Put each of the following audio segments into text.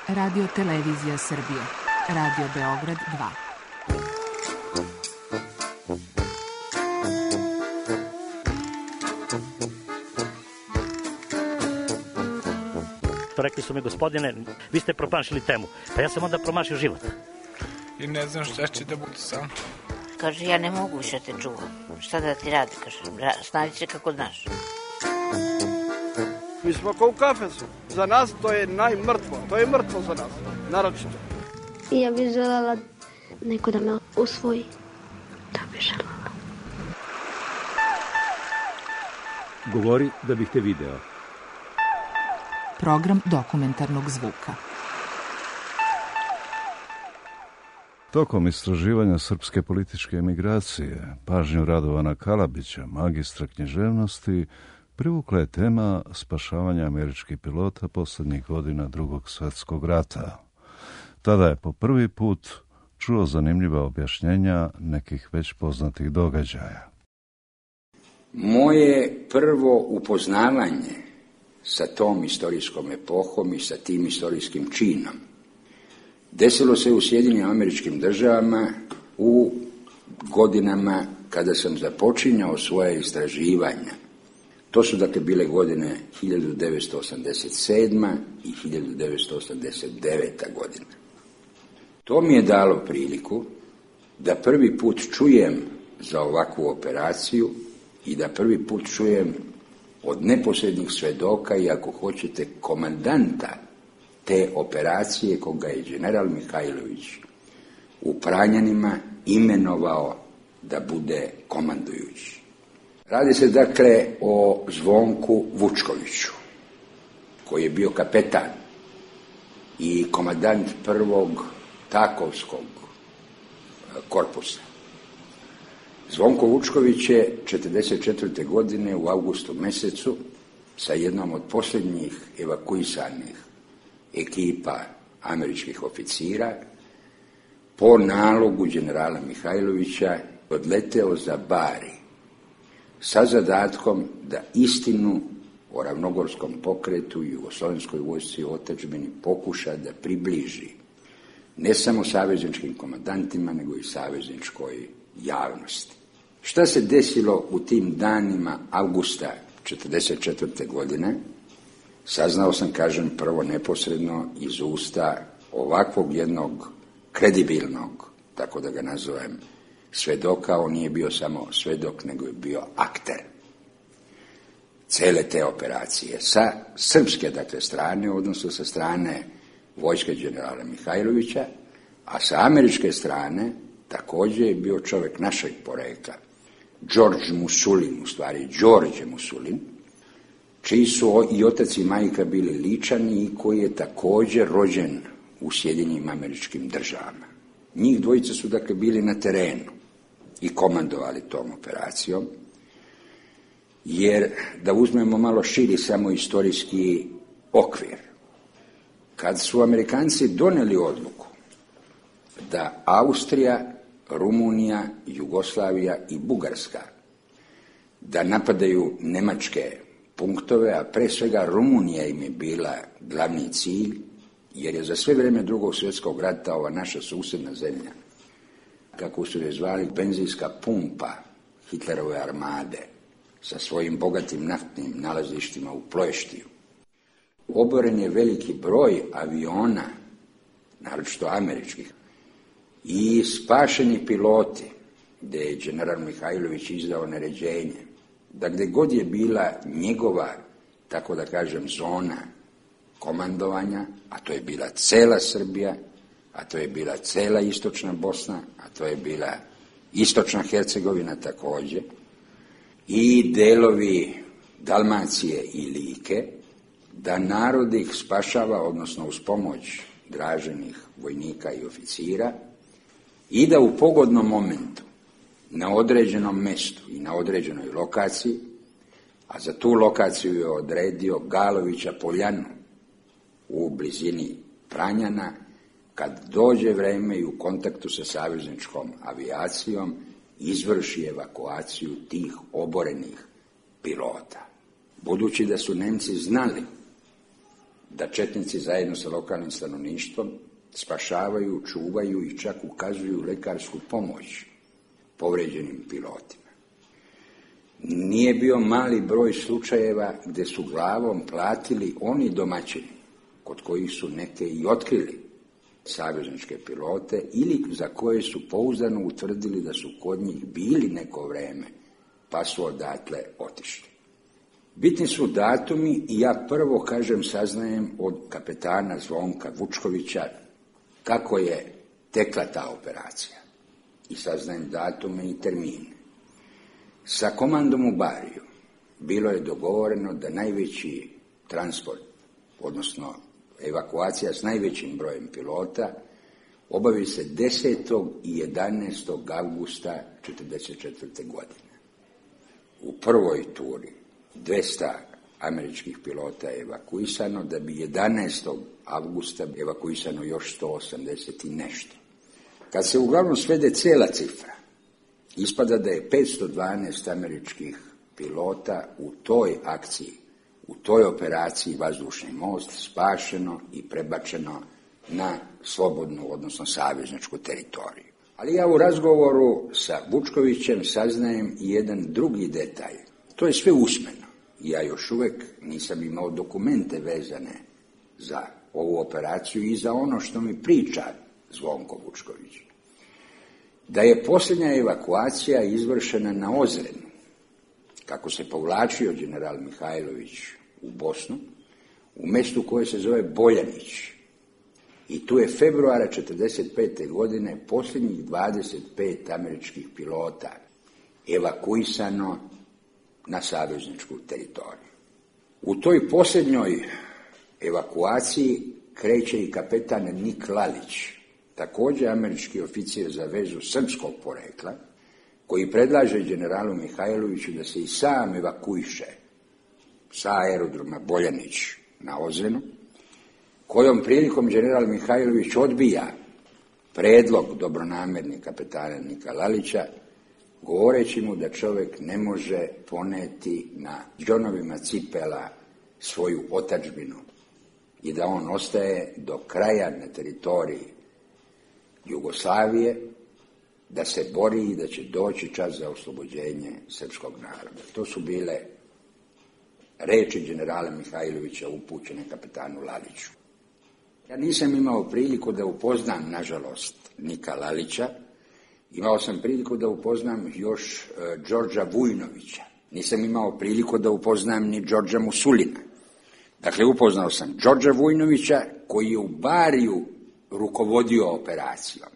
Radio Televizija Srbije. Radio Beograd 2. Rekli su mi, gospodine, vi ste promašili temu. Pa ja sam onda promašio život. I ne znam šta će da bude sam. Kaže, ja ne mogu više te čuvam. Šta da ti radi, kaže, snađi se kako znaš. Mi smo kao u kafesu. Za nas to je najmrtvo. To je mrtvo za nas, naročito. Ja bih želela neko da me usvoji. Da bih želela. Govori da bih te video. Program dokumentarnog zvuka. Tokom istraživanja srpske političke emigracije, pažnju Radovana Kalabića, magistra književnosti, privukla je tema spašavanja američkih pilota posljednjih godina Drugog svjetskog rata. Tada je po prvi put čuo zanimljiva objašnjenja nekih već poznatih događaja. Moje prvo upoznavanje sa tom istorijskom epohom i sa tim istorijskim činom desilo se u Sjedinjenim Američkim Državama u godinama kada sam započinjao svoje istraživanja. To su dakle bile godine 1987. i 1989. godina. To mi je dalo priliku da prvi put čujem za ovakvu operaciju i da prvi put čujem od neposrednih svedoka i ako hoćete komandanta te operacije koga je general Mihajlović u Pranjanima imenovao da bude komandujući. Radi se dakle o Zvonku Vučkoviću, koji je bio kapetan i komandant prvog Takovskog korpusa. Zvonko Vučković je 1944. godine u avgustu mjesecu sa jednom od posljednjih evakuisanih ekipa američkih oficira po nalogu generala Mihajlovića odleteo za Bari sa zadatkom da istinu o ravnogorskom pokretu i jugoslovenskoj vojsci u otadžbini pokuša da približi ne samo savezničkim komandantima, nego i savezničkoj javnosti. Šta se desilo u tim danima avgusta 1944. godine, saznao sam, kažem, prvo neposredno iz usta ovakvog jednog kredibilnog, tako da ga nazovem, svedoka. On nije bio samo svedok, nego je bio akter cele te operacije. Sa srpske, dakle, strane, odnosno sa strane vojske generala Mihajlovića, a sa američke strane također je bio čovjek našeg porekla, George Musulin, u stvari Đorđe Musulin, čiji su i otac i majka bili Ličani i koji je također rođen u Sjedinjenim Američkim Državama. Njih dvojica su dakle bili na terenu i komandovali tom operacijom, jer da uzmemo malo širi samo istorijski okvir, kad su Amerikanci donijeli odluku da Austrija, Rumunija, Jugoslavija i Bugarska da napadaju nemačke punktove, a pre svega Rumunija im je bila glavni cilj, jer je za sve vrijeme Drugog svjetskog rata ova naša susjedna zemlja, kako su je zvali, benzinska pumpa Hitlerove armade sa svojim bogatim naftnim nalazištima u Ploještiju. Oboren je veliki broj aviona, naročito američkih, i spašeni piloti, gdje je general Mihajlović izdao naređenje da gdje god je bila njegova, tako da kažem, zona komandovanja, a to je bila cela Srbija, a to je bila cela istočna Bosna, a to je bila istočna Hercegovina također, i delovi Dalmacije i Like, da narod ih spašava, odnosno uz pomoć draženih vojnika i oficira, i da u pogodnom momentu, na određenom mjestu i na određenoj lokaciji, a za tu lokaciju je odredio Galovića Poljanu u blizini Pranjana, kad dođe vrijeme i u kontaktu sa savezničkom avijacijom izvrši evakuaciju tih oborenih pilota. Budući da su Nemci znali da četnici zajedno sa lokalnim stanovništvom spašavaju, čuvaju i čak ukazuju lekarsku pomoć povređenim pilotima. Nije bio mali broj slučajeva gdje su glavom platili oni domaćini kod kojih su neke i otkrili savezničke pilote ili za koje su pouzdano utvrdili da su kod njih bili neko vreme pa su odatle otišli. Bitni su datumi i ja prvo, saznajem od kapetana Zvonka Vučkovića kako je tekla ta operacija. I saznajem datume i termine. Sa komandom u Bariju bilo je dogovoreno da najveći transport, odnosno evakuacija s najvećim brojem pilota, obavi se 10. i 11. avgusta 1944. godine. U prvoj turi 200 američkih pilota je evakuisano, da bi 11. avgusta evakuisano još 180 i nešto. Kad se uglavnom svede cijela cifra, ispada da je 512 američkih pilota u toj akciji, u toj operaciji Vazdušni most spašeno i prebačeno na slobodnu, odnosno savezničku teritoriju. Ali ja u razgovoru sa Vučkovićem saznajem i jedan drugi detalj. To je sve usmeno. Ja još uvijek nisam imao dokumente vezane za ovu operaciju i za ono što mi priča Zvonko Vučković. Da je posljednja evakuacija izvršena na Ozrenu, kako se povlačio general Mihajlović u Bosnu, u mjestu koje se zove Boljanić. I tu je februara 1945. godine posljednjih 25 američkih pilota evakuisano na savezničku teritoriju. U toj posljednjoj evakuaciji kreće i kapetan Nik Lalić, također američki oficir za vezu srpskog porekla, koji predlaže generalu Mihajloviću da se i sam evakuiše sa aerodroma Boljanić na Ozrenu, kojom prilikom general Mihajlović odbija predlog dobronamjerni kapetana Nika Lalića, govoreći mu da čovjek ne može poneti na džonovima cipela svoju otadžbinu i da on ostaje do kraja na teritoriji Jugoslavije, da se bori i da će doći čas za oslobođenje srpskog naroda. To su bile reči generala Mihajlovića upućene kapetanu Laliću. Ja nisam imao priliku da upoznam, nažalost, Nika Lalića. Imao sam priliku da upoznam još Đorđa Vujnovića. Nisam imao priliku da upoznam ni Đorđa Musulina. Dakle, upoznao sam Đorđa Vujnovića koji je u Bariju rukovodio operacijom.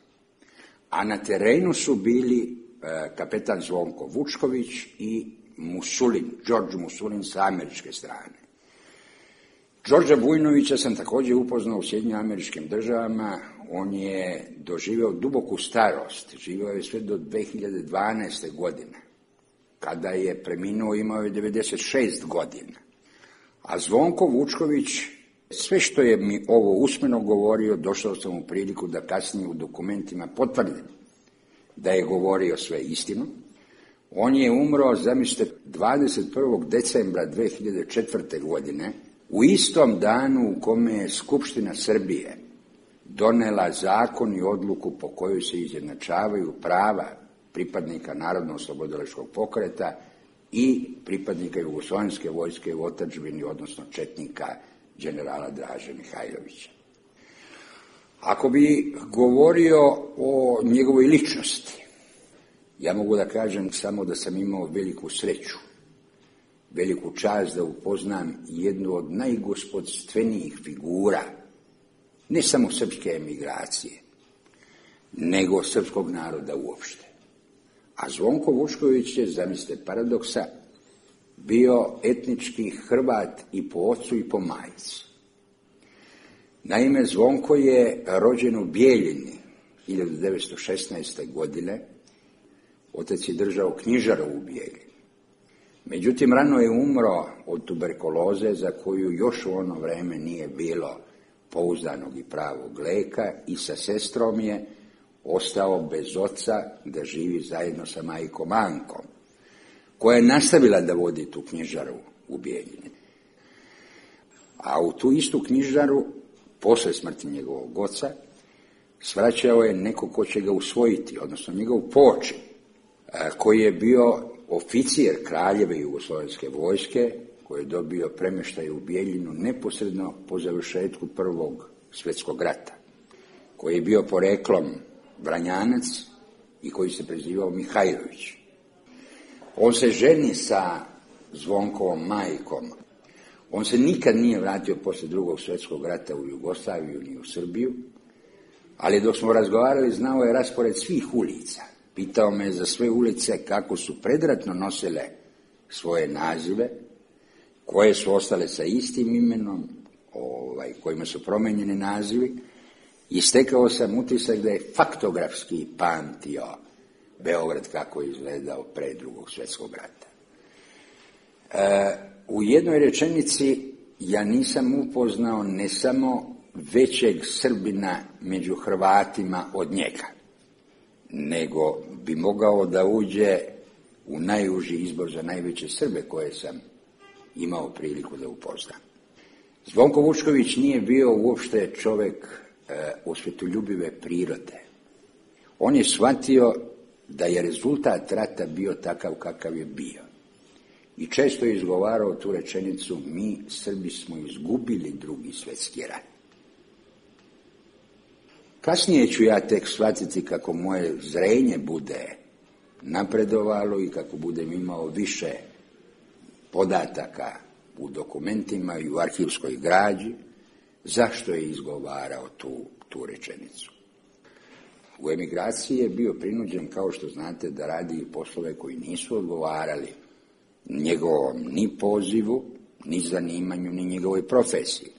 A na terenu su bili kapetan Zvonko Vučković i Musulin, Đorđe Musulin sa američke strane. Đorđa Vujnovića sam također upoznao u SAD-u. On je doživio duboku starost, živio je sve do 2012. godine. Kada je preminuo, imao je 96 godina. A Zvonko Vučković, sve što je mi ovo usmeno govorio, došao sam u priliku da kasnije u dokumentima potvrdim da je govorio sve istinu. On je umro, zamislite, 21. decembra 2004. godine, u istom danu u kome je Skupština Srbije donela zakon i odluku po kojoj se izjednačavaju prava pripadnika Narodno-oslobodilačkog pokreta i pripadnika Jugoslovenske vojske u otadžbini, odnosno četnika generala Draže Mihajlovića. Ako bi govorio o njegovoj ličnosti, ja mogu da kažem samo da sam imao veliku sreću, veliku čast da upoznam jednu od najgospodstvenijih figura, ne samo srpske emigracije, nego srpskog naroda uopšte. A Zvonko Vučković je, zamislite paradoksa, bio etnički Hrvat i po ocu i po majci. Naime, Zvonko je rođen u Bijeljini 1916. godine, otac je držao knjižaru u Bijeljini. Međutim, rano je umro od tuberkuloze za koju još u ono vreme nije bilo pouzdanog i pravog lijeka i sa sestrom je ostao bez oca da živi zajedno sa majkom Ankom, koja je nastavila da vodi tu knjižaru u Bijeljini. A u tu istu knjižaru, posle smrti njegovog oca, svraćao je neko ko će ga usvojiti, odnosno njegov poočin, koji je bio oficir kraljeve jugoslovenske vojske, koji je dobio premještaj u Bijeljinu neposredno po završetku Prvog svjetskog rata, koji je bio poreklom Vranjanac i koji se prezivao Mihajlović. On se ženi sa Zvonkovom majkom. On se nikad nije vratio poslije Drugog svjetskog rata u Jugoslaviju ni u Srbiju, ali dok smo razgovarali znao je raspored svih ulica. Pitao me za sve ulice kako su predratno nosile svoje nazive, koje su ostale sa istim imenom, kojima su promijenjeni nazivi, i stekao sam utisak da je faktografski pamtio Beograd kako je izgledao pre Drugog svjetskog rata. U jednoj rečenici ja nisam upoznao ne samo većeg Srbina među Hrvatima od njega, nego bi mogao da uđe u najuži izbor za najveće Srbe koje sam imao priliku da upoznam. Zvonko Vučković nije bio uopšte čovjek osvetoljubive prirode. On je shvatio da je rezultat rata bio takav kakav je bio. I često je izgovarao tu rečenicu: mi Srbi smo izgubili Drugi svjetski rat. Kasnije ću ja tek shvatiti kako moje zrenje bude napredovalo i kako budem imao više podataka u dokumentima i u arhivskoj građi, zašto je izgovarao tu rečenicu. U emigraciji je bio prinuđen, kao što znate, da radi poslove koji nisu odgovarali njegovom ni pozivu, ni zanimanju, ni njegovoj profesiji.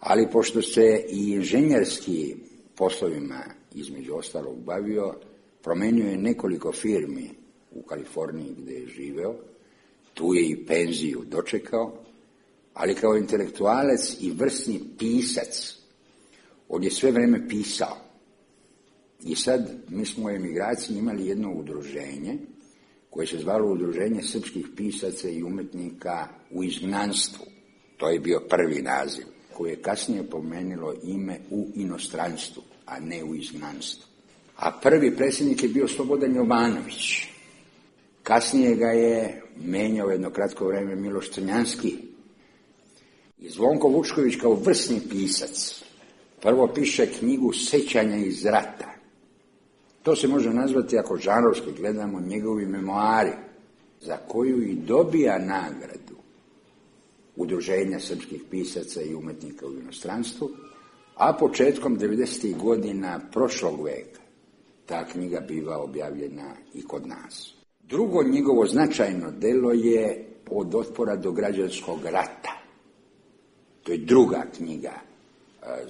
Ali pošto se i inženjerski poslovima između ostalog bavio, promenio je nekoliko firmi u Kaliforniji gdje je živeo, tu je i penziju dočekao, ali kao intelektualac i vrsni pisac, on je sve vrijeme pisao. I sad mi smo u emigraciji imali jedno udruženje koje se zvalo Udruženje srpskih pisaca i umetnika u izgnanstvu. To je bio prvi naziv, koje je kasnije pomenilo ime u inostranstvu, a ne u izgnanstvu. A prvi predsjednik je bio Slobodan Jovanović. Kasnije ga je menjao jedno kratko vrijeme Miloš Crnjanski. I Zvonko Vučković kao vrsni pisac prvo piše knjigu Sećanja iz rata. To se može nazvati, ako žanrovski gledamo, njegovi memoari, za koju i dobija nagradu Udruženja srpskih pisaca i umetnika u inostranstvu, a početkom 90. godina prošlog veka ta knjiga biva objavljena i kod nas. Drugo njegovo značajno delo je Od otpora do građanskog rata. To je druga knjiga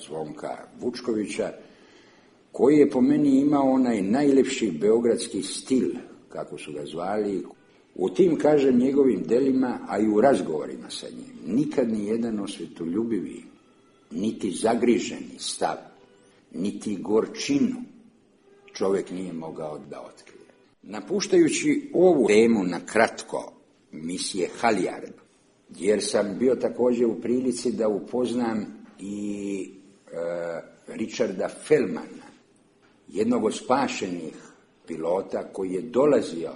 Zvonka Vučkovića, koji je po meni imao onaj najlepši beogradski stil, kako su ga zvali. U tim, kažem, njegovim delima, a i u razgovorima sa njim, nikad ni jedan osvetoljubivi, niti zagriženi stav, niti gorčinu čovjek nije mogao da otkrije. Napuštajući ovu temu na kratko misije Halijard, jer sam bio također u prilici da upoznam i Richarda Feldmana, jednog od spašenih pilota koji je dolazio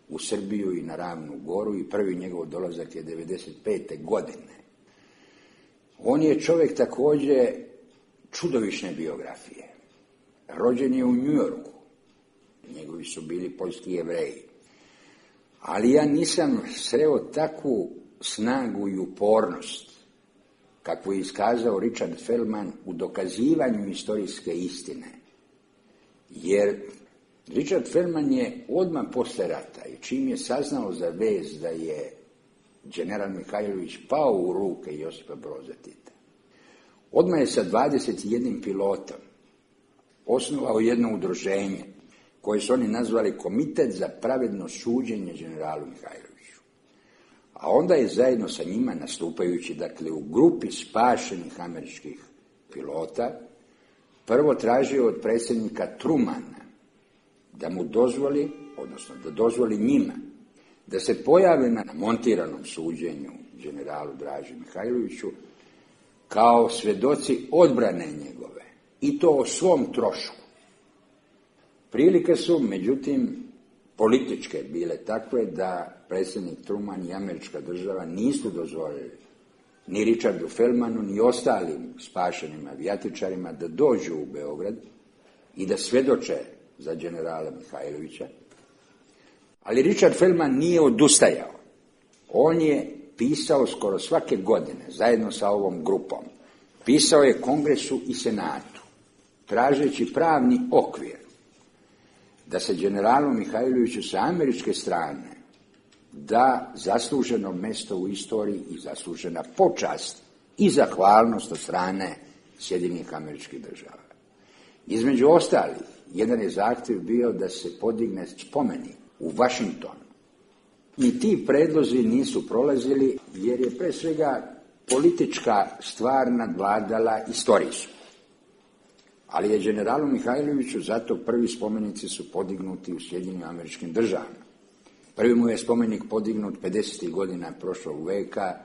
u Srbiju i na Ravnu Goru, i prvi njegov dolazak je 1995. godine. On je čovjek također čudovišne biografije. Rođen je u New Yorku. Njegovi su bili poljski Jevreji. Ali ja nisam sreo takvu snagu i upornost kakvu je iskazao Richard Feldman u dokazivanju istorijske istine. Jer Richard Feldman je odmah posle rata, i čim je saznao za vez da je general Mihajlović pao u ruke Josipa Broza Tita, odmah je sa 21 pilotom osnovao jedno udruženje koje su oni nazvali Komitet za pravedno suđenje generalu Mihajloviću. A onda je zajedno sa njima, nastupajući dakle u grupi spašenih američkih pilota, prvo tražio od predsjednika Trumana da mu dozvoli, odnosno da dozvoli njima, da se pojave na montiranom suđenju generalu Draži Mihajloviću, kao svjedoci odbrane njegove, i to o svom trošku. Prilike su, međutim, političke bile takve da predsjednik Truman i američka država nisu dozvolili ni Richardu Feldmanu, ni ostalim spašenim avijatičarima da dođu u Beograd i da svjedoče za generala Mihajlovića. Ali Richard Feldman nije odustajao. On je pisao skoro svake godine, zajedno sa ovom grupom. Pisao je Kongresu i Senatu, tražeći pravni okvir da se generalu Mihajloviću sa američke strane da zasluženo mjesto u istoriji i zaslužena počast i zahvalnost od strane Sjedinjenih Američkih Država. Između ostalih, jedan je zahtjev bio da se podigne spomenik u Vašingtonu. I ti predlozi nisu prolazili jer je pre svega politička stvar nadvladala istorijsku. Ali je generalu Mihajloviću zato prvi spomenici su podignuti u Sjedinjenim Američkim Državama. Prvi mu je spomenik podignut 50. godina prošlog veka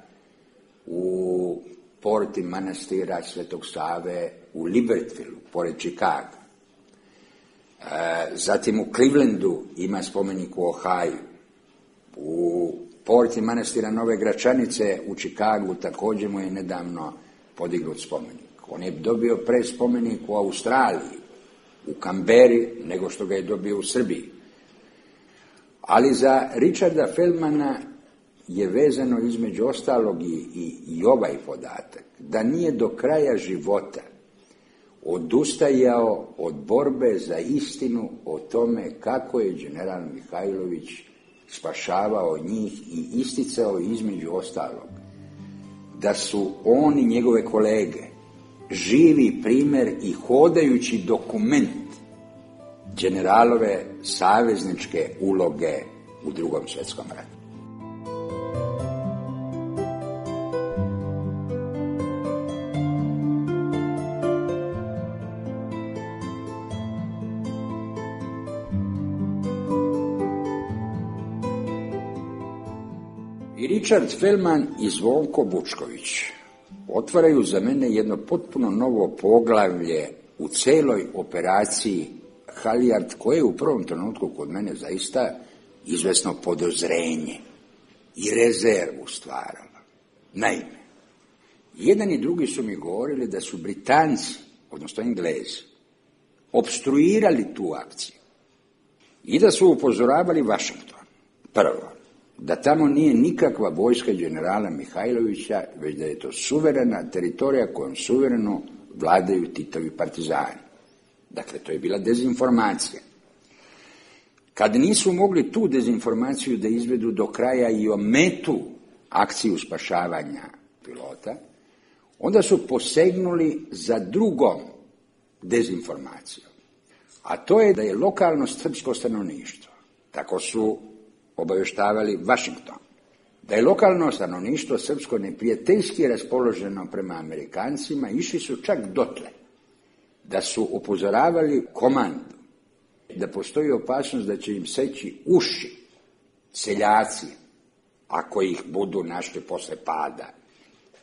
u porti manastira Svetog Save u Libertyvilu, pored Čikaga. Zatim u Clevelandu ima spomenik u Ohaju. U porti manastira Nove Gračanice u Čikagu također mu je nedavno podignut spomenik. On je dobio pre spomenik u Australiji, u Kamberi, nego što ga je dobio u Srbiji. Ali za Richarda Feldmana je vezano između ostalog i ovaj podatak, da nije do kraja života odustajao od borbe za istinu o tome kako je general Mihajlović spašavao njih i isticao između ostalog da su on i njegove kolege živi primjer i hodajući dokument generalove savezničke uloge u Drugom svjetskom ratu. I Richard Feldman i Zvonko Bučković otvaraju za mene jedno potpuno novo poglavlje u celoj operaciji Halijard, koje je u prvom trenutku kod mene zaista izvesno podozrenje i rezervu stvarala. Naime, jedan i drugi su mi govorili da su Britanci, odnosno Englezi, opstruirali tu akciju i da su upozoravali Vašington. Prvo, da tamo nije nikakva vojska generala Mihajlovića, već da je to suverena teritorija kojom suvereno vladaju Titovi partizani. Dakle, to je bila dezinformacija. Kad nisu mogli tu dezinformaciju da izvedu do kraja i ometu akciju spašavanja pilota, onda su posegnuli za drugom dezinformacijom. A to je da je lokalno srpsko stanovništvo, tako su obavještavali Vašington, da je lokalno stanovništvo srpsko neprijateljski raspoloženo prema Amerikancima, išli su čak dotle da su upozoravali komandu da postoji opasnost da će im seći uši seljaci ako ih budu našli posle pada.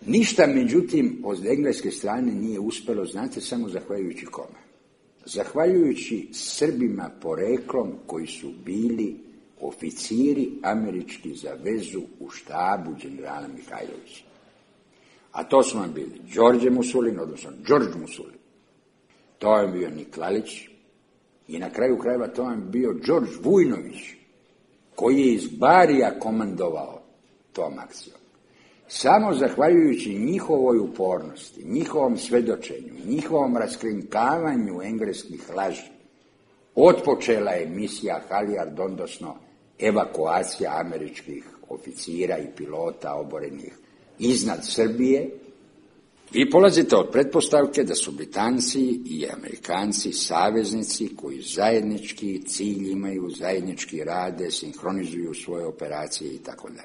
Ništa, međutim, od engleske strane nije uspjelo, znate, samo zahvaljujući kome? Zahvaljujući Srbima poreklom koji su bili oficiri američki za vezu u štabu generala Mihajlovića. A to su vam bili Đorđe Musulin, odnosno Đorđ Musulin. To je bio Niklalić i na kraju krajeva to je bio Đorđ Vujnović, koji je iz Barija komandovao tom akcijom. Samo zahvaljujući njihovoj upornosti, njihovom svedočenju, njihovom raskrinkavanju engleskih laži, otpočela je misija Halijard, odnosno evakuacija američkih oficira i pilota oborenih iznad Srbije. Vi polazite od pretpostavke da su Britanci i Amerikanci saveznici koji zajednički cilj imaju, zajednički rade, sinhronizuju svoje operacije itd.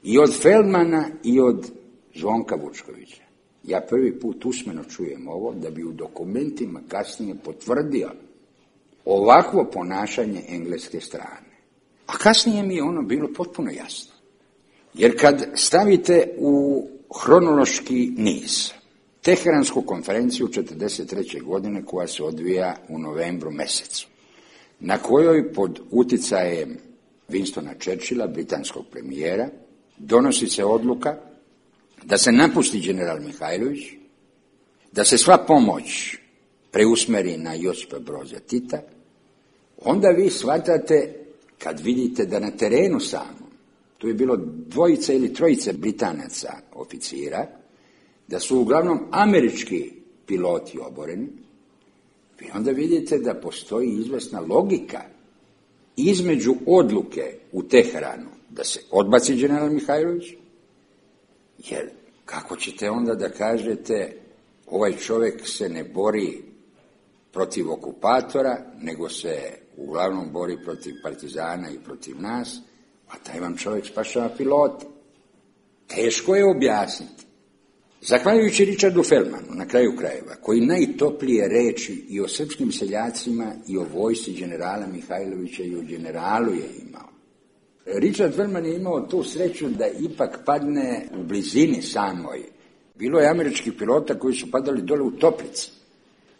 I od Feldmana i od Zvonka Vučkovića. Ja prvi put usmeno čujem ovo da bi u dokumentima kasnije potvrdio ovakvo ponašanje engleske strane. A kasnije mi je ono bilo potpuno jasno. Jer kad stavite u hronološki niz Teheransku konferenciju 1943. godine koja se odvija u novembru mjesecu, na kojoj pod uticajem Winstona Churchilla, britanskog premijera, donosi se odluka da se napusti general Mihajlović, da se sva pomoć preusmeri na Josipa Broza Tita, onda vi shvatate, kad vidite da na terenu samom, tu je bilo 2 ili 3 Britanaca oficira, da su uglavnom američki piloti oboreni, vi onda vidite da postoji izvesna logika između odluke u Teheranu da se odbaci general Mihajlović, jer kako ćete onda da kažete ovaj čovjek se ne bori protiv okupatora, nego se uglavnom bori protiv partizana i protiv nas, a taj vam čovjek spašava pilota. Teško je objasniti. Zahvaljujući Richardu Feldmanu, na kraju krajeva, koji najtoplije reči i o srpskim seljacima i o vojsci generala Mihajlovića i o generalu je imao. Richard Feldman je imao tu sreću da ipak padne u blizini samoj. Bilo je američkih pilota koji su padali dole u Toplici.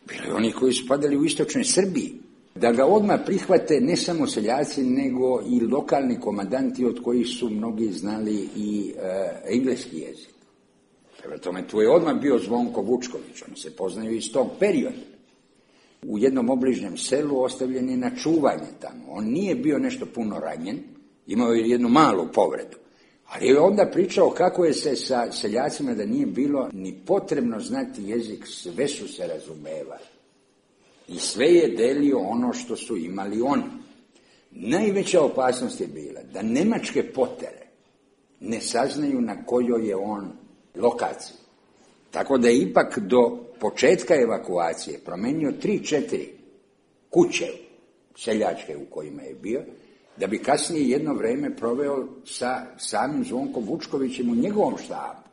Bilo je onih koji su padali u istočnoj Srbiji. Da ga odmah prihvate ne samo seljaci, nego i lokalni komandanti od kojih su mnogi znali i engleski jezik. Prema tome, tu je odmah bio Zvonko Vučković, oni se poznaju iz tog perioda. U jednom obližnjem selu ostavljen je na čuvanje tamo. On nije bio nešto puno ranjen, imao je jednu malu povredu. Ali je onda pričao kako je se sa seljacima da nije bilo ni potrebno znati jezik, sve su se razumevali. I sve je delio ono što su imali oni. Najveća opasnost je bila da nemačke potere ne saznaju na kojoj je on lokaciji. Tako da je ipak do početka evakuacije promenio 3-4 kuće seljačke u kojima je bio, da bi kasnije jedno vrijeme proveo sa samim Zvonkom Vučkovićem u njegovom štabu.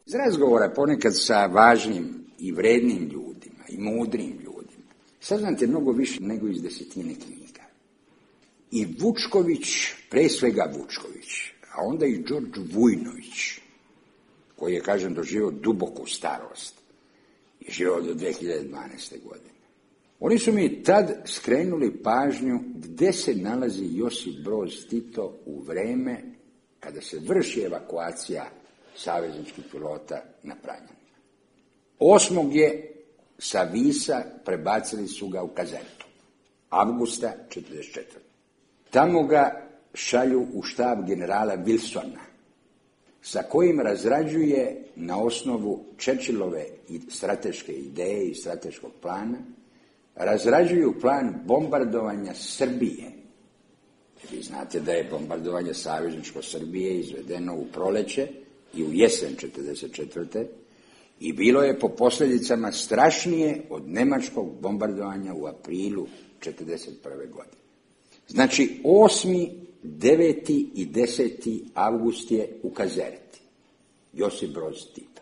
Iz razgovora ponekad sa važnim i vrednim ljudima i mudrim ljudima saznate mnogo više nego iz 10 knjiga. I Vučković, pre svega Vučković, a onda i Đorđe Vujnović, koji je, kažem, doživio duboku starost, je živio do 2012. godine. Oni su mi tad skrenuli pažnju gdje se nalazi Josip Broz Tito u vreme kada se vrši evakuacija savezničkih pilota na Pranjanima. 8. je sa Visa prebacili su ga u Kazertu, avgusta 1944. Tamo ga šalju u štab generala Wilsona, sa kojim razrađuje na osnovu Churchillove strateške ideje i strateškog plana, razrađuju plan bombardovanja Srbije. Vi znate da je bombardovanje savezničko Srbije izvedeno u proleće i u jesen 1944. i bilo je po posljedicama strašnije od nemačkog bombardovanja u aprilu 1941. godine. Znači, 8., 9. i 10. avgust je u Kazerti. Josip Broz Tito.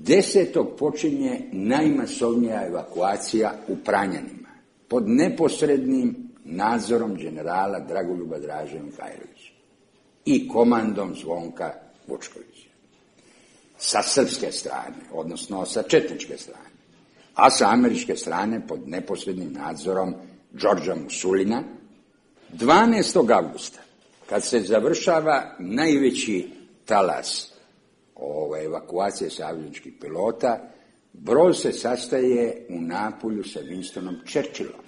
10. počinje najmasovnija evakuacija u Pranjanima, pod neposrednim nadzorom generala Dragoljuba Draže Mihajlovića i komandom Zvonka Vučkovića. Sa srpske strane, odnosno sa četničke strane, a sa američke strane pod neposrednim nadzorom Đorđa Musulina. 12. avgusta, kad se završava najveći talas evakuacije savezničkih pilota, Broz se sastaje u Napulju sa Winstonom Churchillom.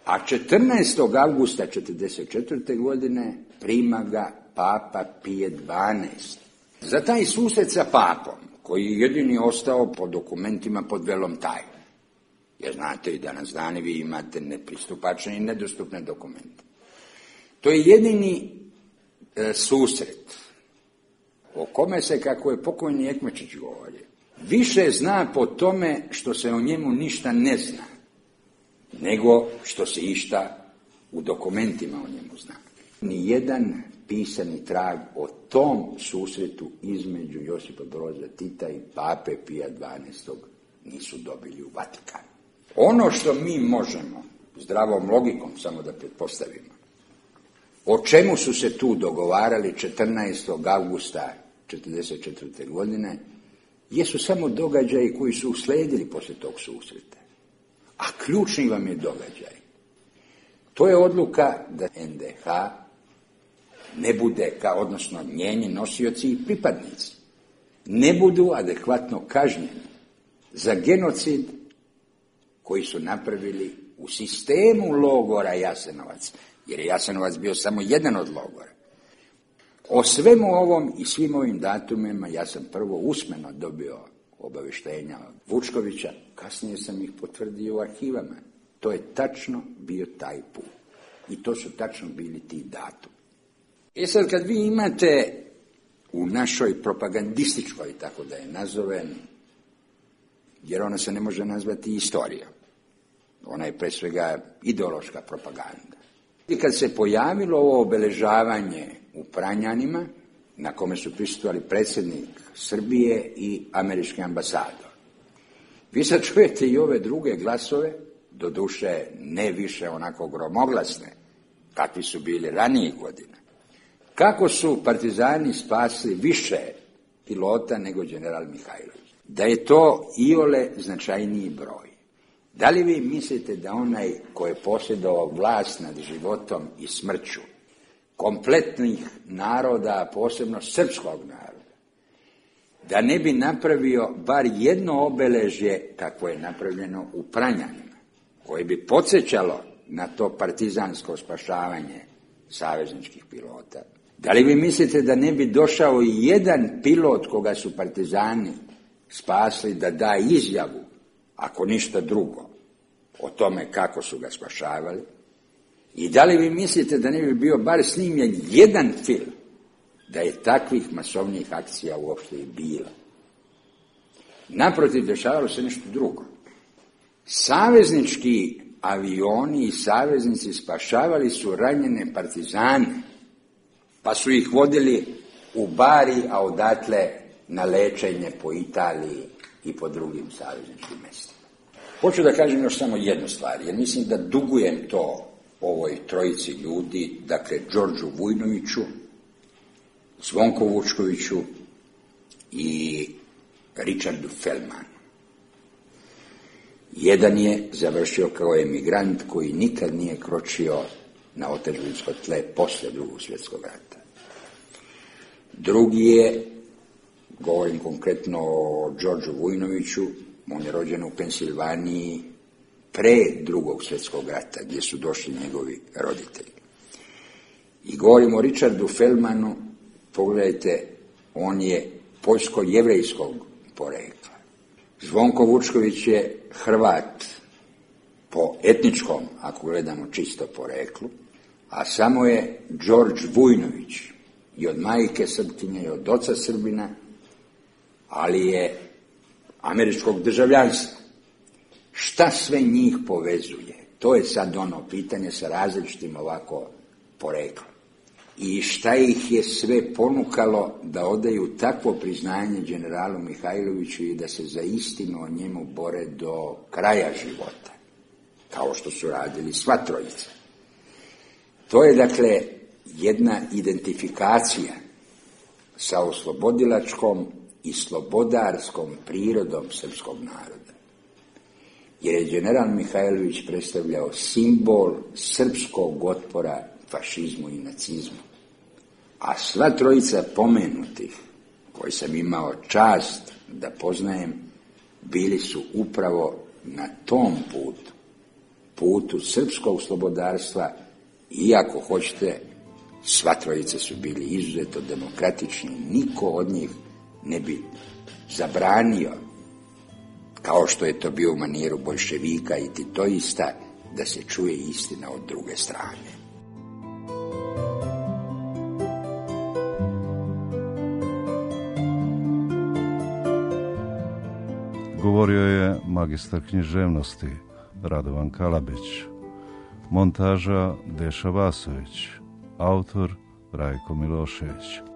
A 14. avgusta 1944. godine prima ga Papa Pije XII. Za taj susret sa papom, koji je jedini ostao po dokumentima pod velom tajne, jer znate i danas dani vi imate nepristupačne i nedostupne dokumente. To je jedini susret o kome se, kako je pokojni Ekmečić govorio, više zna po tome što se o njemu ništa ne zna, nego što se išta u dokumentima o njemu zna. Nijedan pisani trag o tom susretu između Josipa Broza Tita i Pape Pija XII. Nisu dobili u Vatikanu. Ono što mi možemo, zdravom logikom samo da pretpostavimo, o čemu su se tu dogovarali 14. augusta 1944. godine, jesu samo događaji koji su usledili poslije tog susreta. A ključni vam je događaj. To je odluka da NDH ne bude, odnosno njeni nosioci i pripadnici, ne budu adekvatno kažnjeni za genocid koji su napravili u sistemu logora Jasenovac, jer je Jasenovac bio samo jedan od logora. O svemu ovom i svim ovim datumima ja sam prvo usmeno dobio obavještenja od Vučkovića, kasnije sam ih potvrdio u arhivama. To je tačno bio taj put. I to su tačno bili ti datumi. E sad, kad vi imate u našoj propagandističkoj, tako da je nazovem, jer ona se ne može nazvati istorijom. Ona je pre svega ideološka propaganda. I kad se pojavilo ovo obeležavanje u Pranjanima, na kome su prisustvovali predsjednik Srbije i američki ambasador, vi sad čujete i ove druge glasove, doduše ne više onako gromoglasne, kakvi su bili ranijih godina. Kako su partizani spasili više pilota nego general Mihajlović? Da je to iole značajniji broj. Da li vi mislite da onaj ko je posjedovao vlast nad životom i smrću kompletnih naroda, posebno srpskog naroda, da ne bi napravio bar jedno obeležje kako je napravljeno u Pranjanima, koje bi podsjećalo na to partizansko spašavanje savezničkih pilota? Da li vi mislite da ne bi došao i jedan pilot koga su partizani spasli da da izjavu, ako ništa drugo, o tome kako su ga spašavali? I da li vi mislite da ne bi bio bar snimljen jedan film da je takvih masovnih akcija uopšte i bilo? Naprotiv, dešavalo se nešto drugo. Saveznički avioni i saveznici spašavali su ranjene partizane, pa su ih vodili u Bari, a odatle na lečenje po Italiji i po drugim savezničkim mestima. Hoću da kažem još samo jednu stvar, jer mislim da dugujem to ovoj trojici ljudi, dakle Đorđu Vujnoviću, Zvonku Vučkoviću i Richardu Feldmanu. Jedan je završio kao emigrant koji nikad nije kročio na otadžbinsko tle posle Drugog svjetskog rata. Drugi je, govorim konkretno o Đorđu Vujnoviću, on je rođen u Pensilvaniji pre Drugog svjetskog rata, gdje su došli njegovi roditelji. I govorim o Richardu Feldmanu, pogledajte, on je poljsko-jevrejskog porekla. Zvonko Vučković je Hrvat po etničkom, ako gledamo čisto poreklu, a samo je Đorđ Vujnović i od majke Srpkinje i od oca Srbina, ali je američkog državljanstva. Šta sve njih povezuje? To je sad ono pitanje sa različitim ovako poreklom. I šta ih je sve ponukalo da odaju takvo priznanje generalu Mihajloviću i da se za istinu o njemu bore do kraja života, kao što su radili sva trojica. To je dakle jedna identifikacija sa oslobodilačkom i slobodarskom prirodom srpskog naroda. Jer je general Mihajlović predstavljao simbol srpskog otpora fašizmu i nacizmu. A sva trojica pomenutih, koji sam imao čast da poznajem, bili su upravo na tom putu, putu srpskog slobodarstva, iako hoćete, sva trojica su bili izuzetno demokratični, niko od njih ne bi zabranio, kao što je to bio u maniru boljševika i titoista, da se čuje istina od druge strane. Govorio je magistar književnosti Radovan Kalabić, montaža Deša Vasović, autor Rajko Milošević.